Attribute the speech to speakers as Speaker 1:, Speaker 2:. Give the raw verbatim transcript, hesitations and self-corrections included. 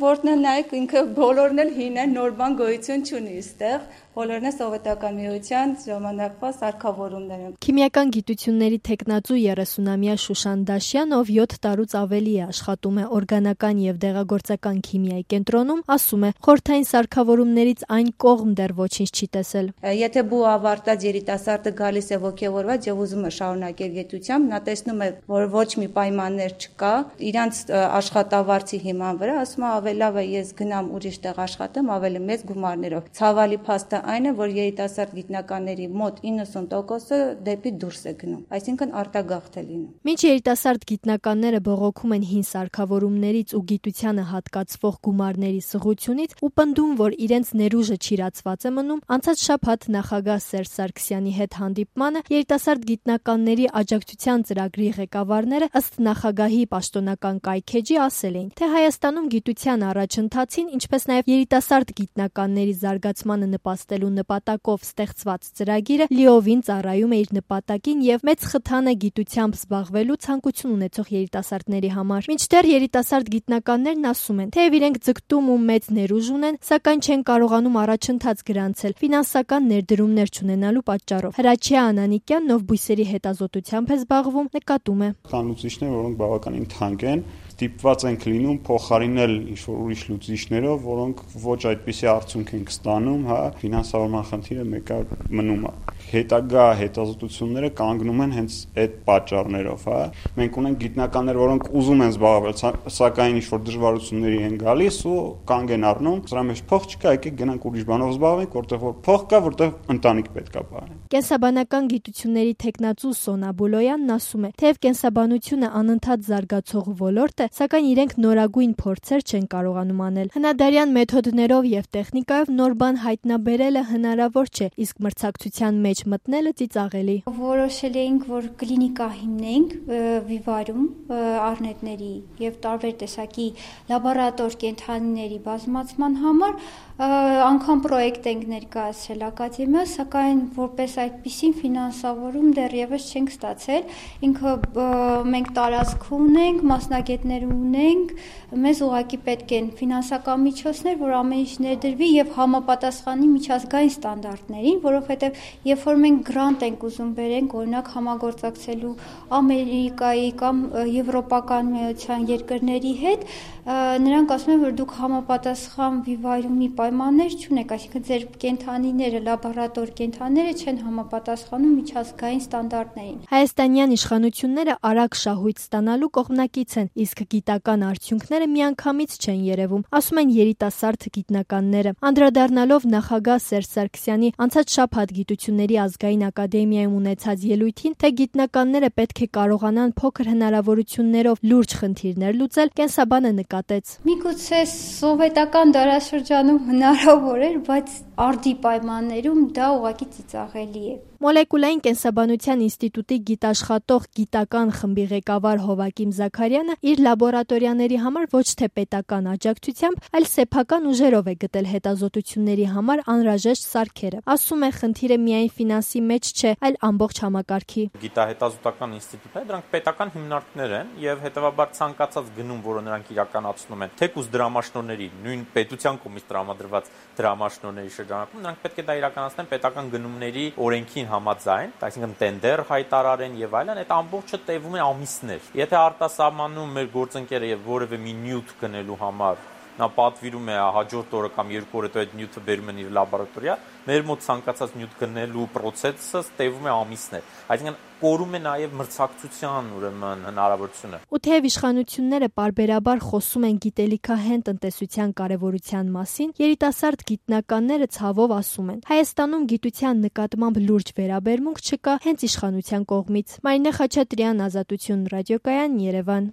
Speaker 1: Որն էլ նայեք ինքը բոլորն էլ հին են, նոր բան գոյություն չունի այստեղ։ Բոլորն է սովետական միության ժամանակվա սարքավորումներ են։
Speaker 2: Քիմիական գիտությունների թեկնածու երեսունամյա Շուշան Դաշյան, ով յոթ տարուց ավելի է աշխատում է օրգանական եւ դեղագործական քիմիայի կենտրոնում, ասում է, խորհրդային սարքավորումներից այն կողմ դեռ ոչինչ չի տեսել։
Speaker 1: Եթե բու ավարտած երիտասարդը գալիս է ոգևորված եւ ուզում է շարունակել գիտությամբ, նա տեսնում է, որ ոչ մի պայմաններ չկա, իրանց աշխատավարձի հիման վրա, ասում է ավելի լավ է ես գնամ ուրիշ տեղ աշխատեմ ավելի մեծ գումարներով։ Ցավալի փաստը այն է, որ երիտասարդ գիտնականների մոտ իննսուն տոկոսը դեպի դուրս է գնում, այսինքն արտագաղթ է լինում։
Speaker 2: Մինչ երիտասարդ գիտնականները բողոքում են հին սարքավորումներից ու գիտությանը հատկացվող գումարների սղությունից ու պնդում, որ իրենց ներուժը չիրացված է մնում, անցած շաբաթ նախագահ Սերժ Սարգսյանի հետ հանդիպմանը երիտասարդ գիտնականների աջակցության ծրագրի ղեկավարները ըստ նախագահի պաշտոնական կայքեջի ասել էին, թե Հայաստանում գիտության առաջընթացին, ինչպես նաև երիտասարդ գիտնականների զարգացմանը նպաստելու նպատակով ստեղծված ծրագիրը լիովին ծառայում է իր նպատակին եւ մեծ խթան է գիտությամբ զբաղվելու ցանկություն ունեցող երիտասարդների համար։ Մինչդեռ երիտասարդ գիտնականներն ասում են, թեև իրենք ձգտում ու մեծ ներուժ ունեն, սակայն չեն կարողանում առաջընթաց գրանցել ֆինանսական ներդրումներ չունենալու պատճառով։ Հրաչյա Անանիկյանն, ով բույսերի հետազոտությամբ է զբաղվում, նկատում է.
Speaker 3: Կան լուծիչներ, որոնք բավականին թանկ են, ստիպված ենք լինում փոխարինել ինչ-որ ուրիշ լուծիչներով, որոնք ոչ այդպիսի արդյունք են ստանում, հա, ֆինանսավորման խնդիրը մեկը մնում է։ Հետագա հետազոտությունները կանգնում են հենց այդ պատճառներով, հա։ Մենք ունենք գիտնականներ, որոնք ուզում են զբաղվել, սակայն ինչ-որ դժվարությունների են գալիս ու կանգ են առնում, սրա մեջ փող չկա, եկեք գնանք ուրիշ բանով զբաղվենք, որտեղ որ փող կա, որտեղ ընտանիք պետք է պահենք։
Speaker 2: Կենսաբանական գիտությունների թեկնածու Սոնա Բուլոյանն ասում է, թեև կենսաբանությունը անընդհատ զարգացող ոլորտ է, սակայն իրենք նորագույն փորձեր չեն կարողանում անել։ Հնադարյան մեթոդներով եւ տեխնիկայով նոր բան հայտնաբերելը հնարավոր չէ, իսկ մրցակցության մեջ մտնելը ծիծաղելի։
Speaker 4: Որոշել էինք, որ կլինիկա հիմնենք վիվարում առնետների եւ տարբեր տեսակի լաբորատոր կենդանիների բազմացման համար, անգամ պրոյեկտ ենք ներկայացրել ակադեմիա, սակայն որպես այդպիսին ֆինանսավորում դեռևս չենք ստացել։ Ինքը մենք տարածք ունենք, մասնագետներ ունենք, մեզ ուղղակի պետք են ֆինանսական միջոցներ, որ ամեն ինչ ներդրվի եւ համապատասխանի միջազգային ստանդարտներին, որովհետեւ երբ որ մենք գրանտ ենք ուզում բերենք, օրինակ համագործակցելու Ամերիկայի կամ Եվրոպական միության երկրների հետ, նրանք ասում են, որ դուք համապատասխան վիվարումի պայմաններ չունեք, այսինքն ձեր կենդանիները, լաբորատոր կենդանիները չեն համապատասխանում միջազգային ստանդարտներին։
Speaker 2: Հայաստանյան իշխանությունները արագ շահույթ ստանալու կողմնակից են, իսկ գիտական արդյունքները միանգամից չեն երևում, ասում են երիտասարդ գիտնականները։ Անդրադառնալով նախագահ Սերժ Սարգսյանի անցած շաբաթ գիտությունների ազգային ակադեմիայում ունեցած ելույթին, թե գիտնականները պետք է կարողանան փոքր հնարավորություններով լուրջ խնդիրներ լուծել, կենսաբանը նկատեց.
Speaker 4: Միգուցե սովետական դարաշրջանում հնարավոր էր, բայց արդի պայմաններում դա ուղղակի ծիծաղելի է։
Speaker 2: Մոլեկուլային կենսաբանության ինստիտուտի գիտաշխատող գիտական խմբի ղեկավար Հովակիմ Զաքարյանը իր լաբորատորիաների համար ոչ թե պետական աջակցությամբ, այլ սեփական ուժերով է գտել հետազոտությունների համար անհրաժեշտ սարքերը։ Ասում է, խնդիրը միայն ֆինանսի մեջ չէ, այլ ամբողջ համակարգի։
Speaker 5: Գիտահետազոտական ինստիտուտները դրանք պետական հիմնարկներ են եւ հետեւաբար ցանկացած գնում, որը նրանք իրականացնում են, թեկուզ դրամաշնորհների, նույն պետության կողմից տրամադրված դրամաշնորհների շրջանակում, նրանք պետք է դա իրականացնեն պետական գնումների օրենքին համաձայն, այսինքն տենդեր հայտարարեն եւ այլն, այդ ամբողջը տևում է ամիսներ։ Եթե արտասահմանում մեր գործընկերը եւ որևէ մի նյութ գնելու համար նա պատվիրում է հաջորդ օրը կամ երկու օր հետո այդ նյութը բերում են իր լաբորատորիա, մեր մոտ ցանկացած նյութ գնելու process-ը տևում է ամիսներ։ Այսինքն կորում է նաև մրցակցության ուրեմն հնարավորությունը։
Speaker 2: Ու թեև իշխանությունները պարբերաբար խոսում են գիտելիքահեն տնտեսության կարևորության մասին, երիտասարդ գիտնականները ցավով ասում են. Հայաստանում գիտության նկատմամբ լուրջ վերաբերմունք չկա հենց իշխանության կողմից։ Մարինե Խաչատրյան, Ազատություն ռադիոկայան, Երևան։